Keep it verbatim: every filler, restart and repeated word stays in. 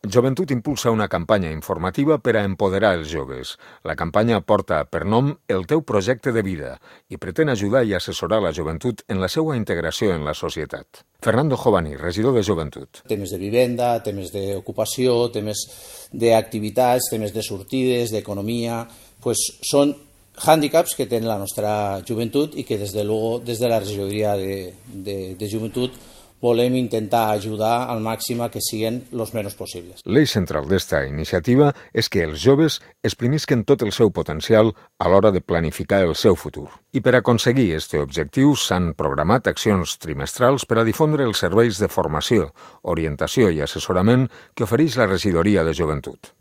Joventut impulsa una campanya informativa per a empoderar els joves. La campanya porta per nom El teu projecte de vida i pretén ajudar i assessorar la joventut en la seva integració en la societat. Fernando Jovani, regidor de Joventut. Temes de vivenda, temes d'ocupació, temes d'activitats, temes de sortides, d'economia, pues són hàndicaps que té la nostra joventut i que des de, luego, des de la regidoria de, de, de joventut volem intentar ajudar al màxim a que siguin els menys possibles. L'eix central d'esta iniciativa és que els joves exprimisquen tot el seu potencial a l'hora de planificar el seu futur. I per aconseguir aquest objectiu s'han programat accions trimestrals per a difondre els serveis de formació, orientació i assessorament que ofereix la regidoria de Joventut.